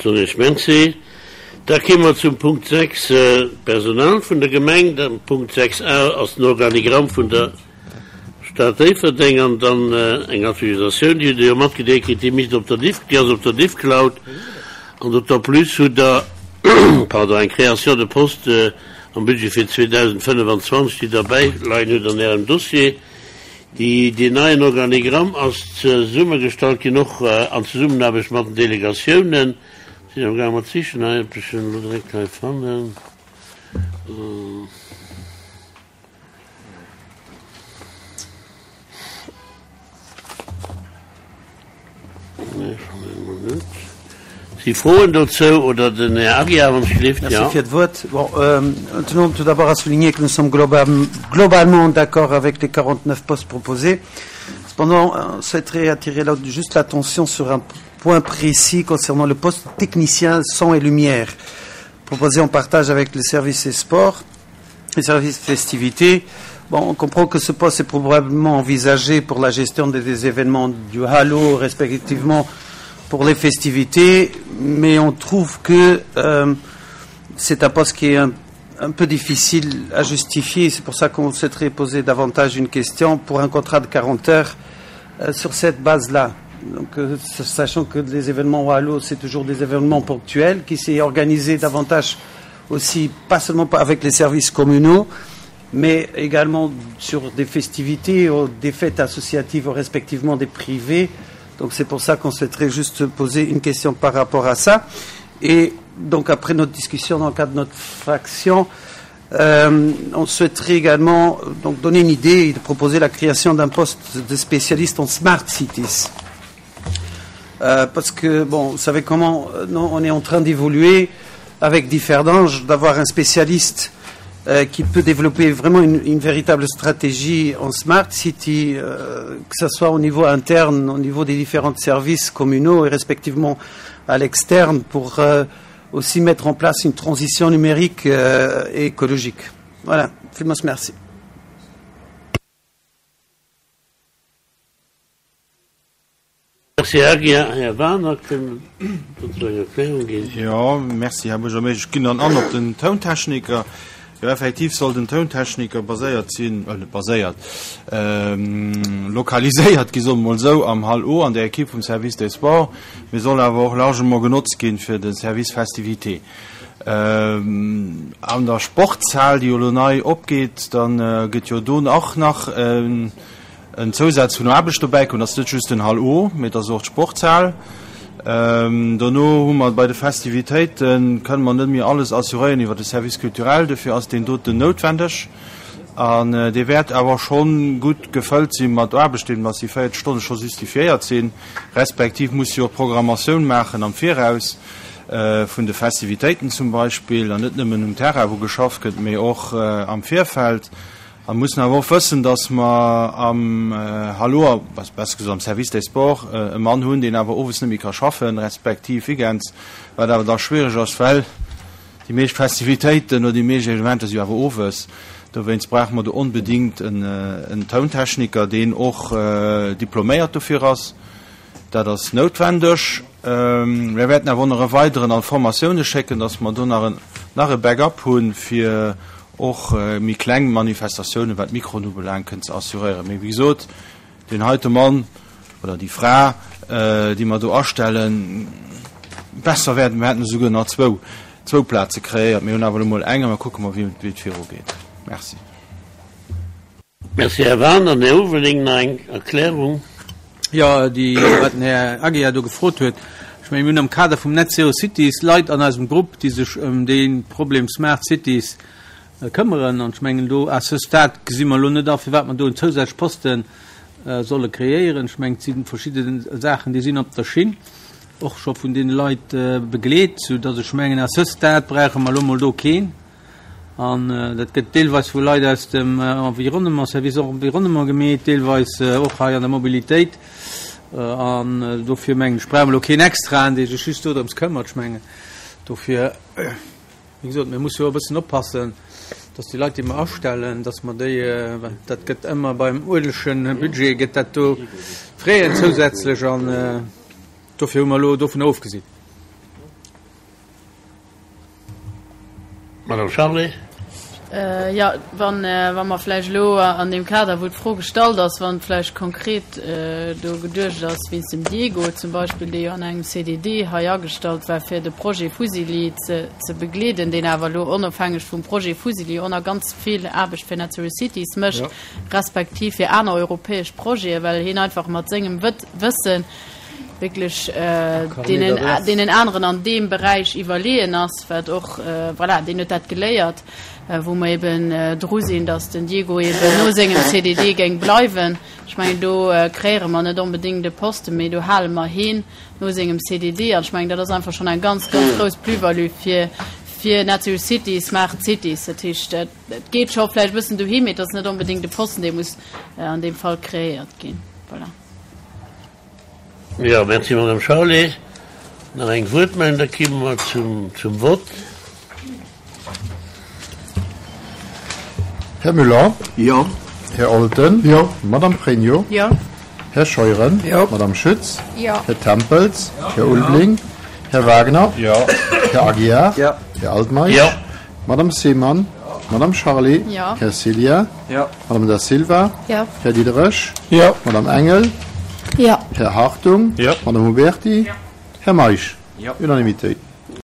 Soen ech Merci. Da kéime mer zum Punkt 6, d'Personal vun der Gemeng. Den Punkt 6 a ass den Organigramm vun der Stad Déifferdeng an dann eng Aktualisatioun, déi hutt Der jo matgedeelt kritt, déi misst op der Diff, déi ass op der Diffcloud. An d'autant plus hutt Der, pardon, eng Création de poste am Budget fir 2025, déi Der bäileien hutt an Ärem Dossier. Déi, deen neien Organigramm ass zesummegestallt ginn, och an Zesummenaarbecht mat den Delegatiounen. Sinn am gaang mat sichen hei, ob ech en elo direkt hei fannen. Nee, fannen elo net. Si Froen dozou oder den Här Aguiar, wann ech gelift? Merci fir d'Wuert. Bon, tenons tout d'abord à souligner que nous sommes globalement d'accord avec les 49 postes proposés. Cependant, on souhaiterait attirer juste l'attention sur un point précis concernant le poste technicien son et lumière, proposé en partage avec le service et sports, les services festivités. Bon, on comprend que ce poste est probablement envisagé pour la gestion des événements du Halo, respectivement pour les festivités, mais on trouve que euh, c'est un poste qui est un, un peu difficile à justifier. C'est pour ça qu'on souhaiterait poser davantage une question pour un contrat de 40 heures euh, sur cette base-là. Donc, euh, sachant que les événements au Halo, c'est toujours des événements ponctuels, qui s'est organisé davantage aussi, pas seulement avec les services communaux, mais également sur des festivités ou des fêtes associatives ou respectivement des privés. Donc c'est pour ça qu'on souhaiterait juste poser une question par rapport à ça. Et donc après notre discussion dans le cadre de notre fraction, euh, on souhaiterait également donc, donner une idée et de proposer la création d'un poste de spécialiste en smart cities. Euh, parce que, bon, vous savez comment euh, non, on est en train d'évoluer avec Differdange, d'avoir un spécialiste euh, qui peut développer vraiment une, une véritable stratégie en smart city, euh, que ce soit au niveau interne, au niveau des différents services communaux et respectivement à l'externe, pour euh, aussi mettre en place une transition numérique euh, et écologique. Voilà, Villmools merci. Merci, Här Aguiar. Här Wagener, kënnt dozou eng Erklärung ginn? Jo, merci, Här Buergermeeschter. Ech ginn dann an op den Tountechniker. Jo, effektiv soll den Tountechniker baséiert sinn, äh, net baséiert, lokaliséiert gi, soe mer mol esou, am Hall O an der Equipe vum Service des Sports, mee soll awer och largement genotzt ginn fir de Service Festivités. An der Sportshal, déi jo elo nei opgeet, da gëtt jo do och nach en Zousaz vun Aarbecht dobäi kommen. Dat ass net just den Hall O, mee et ass och d'Sportshal. Dono hu mer bei de Festivitéiten, kënne mer net méi alles assuréieren iwwer de Service culturel, dofir ass deen doten noutwendeg. An dee wäert awer scho gutt gefëllt si mat Aarbecht, deem dass déi 40 Stonne scho justifiéiert sinn, respektiv muss jo och d'Programmatioun maachen am Viraus. vun de Festivitéiten zum Beispill, an net nëmmen um Terrain, wou geschafft gëtt, mee och am Virfeld. A mir mussen awer och wëssen, dass mer am Hallo, besser gesot am Service des Sports, e Mann hunn, deen awer owes net méi ka schaffen, respektiv weekends, wat awer da schwierig ass, well déi meescht Festivitéiten oder déi meescht Evenementer si jo awer owes. Dowéinst brauche mer do onbedéngt en Tountechniker, deen och diploméiert dofir ass. Dat ass noutwendeg. Mir wäerten awer och nach e weideren an d'Formatioune schécken, dass mer do nach en nach e Backup hunn, fir och méi kleng Manifestatiounen, wat d'Mikroen ubelaangt, kënnen ze assuréieren. Mee wéi gesot, deen heite Mann oder déi Fra, déi mer do astellen, besser wär, mir hätten esouguer nach zwou, zwou Plaze kreéiert. Mir hunn awer elo mol eng a mer kucke mol, wéi et virugeet. Merci. Merci, Här Wagener. Här Ulveling, nach eng Erklärung? Jo, déi, wat den Här Aguiar do gefrot huet. Ech mengen, mir hunn am Kader vum Net Zero Cities Leit an eisem Grupp, déi sech ëm dee Problem Smart Cities këmmeren. An ech mengen, do à ce stade gesi mer elo net a, firwat mer do en zousätzlech Poste solle kreéieren. Ech mengen, et si verschidde Saachen, déi sinn op der Schinn, och scho vun deene Leit begleet, soudass ech mengen, à ce stade brauche mer elo mol do keen. An dat gëtt deelweis vu Leit aus dem Environnement, Service Environnement gemeet, deelweis och hei an der Mobilitéit. An dofir mengen ech, brauche mer elo keen Extraen, dee sech just dodrëms këmmert. Ech mengen dofir, wéi gesot, mir musse jo e bëssen oppassen, dass déi Leit, déi mer astellen, dass mer déi, well dat gëtt ëmmer beim uergleche Budget gëtt dat do Fräen zousätzlech an dofir hu mer elo dovun ofgesinn. Madame Charlé. Jo, wa mer vläicht elo an deem Kader, wou d'Fro gestallt ass, wann vläicht konkret do geduecht ass wéinst dem Diego zum Beispill, dee jo an engem CDD hei agestallt war, fir de Projet Fusilli ze begleeden, deen awer elo onofhängeg vum Projet Fusilli och nach ganz vill Aarbecht fir Net Zero Cities mécht, respektiv fir aner europäesch Projeten, well hien einfach mat sengem Wëssen wierklech deenen, deenen aneren an deem Beräich iwwerleeën ass, wat och, voilà, deen huet dat geléiert, wou mer eben dru sinn, datt den Diego eben no sengem CDD géing bleiwen. Ech mengen, do kreéiere mer net onbedéngt e Posten, mee do hale mer heen no sengem CDD. An ech mengen, dat ass einfach schonn eng ganz, ganz grouss Plus-value fir, fir Net Zero Cities, Smart Cities. Dat heescht, et geet scho vläicht e bëssen dohi, mee et ass net onbedéngt e Posten, dee muss an deem Fall kreéiert ginn. Voilà. Jo, merci Madame Charlé. Nach eng Wuertmeldung, da komme mer zum, zum Vott. Här Müller? Jo. Här Olten? Jo. Madame Pregno? Jo. Här Scheuren? Jo. Madame Schütz? Jo. Här Tempels? Jo. Här Ulveling? Här Wagner? Jo. Här Aguiar? Jo. Här Altmeisch? Jo. Madame Seemann? Madame Charlé? Jo. Här Ceglia? Jo. Madame Da Silva? Jo. Här Diderich? Jo. Madame Engel? Jo. Här Hartung? Jo. Madame Huberti? Jo. Här Meisch? Jo. Unanimitéit.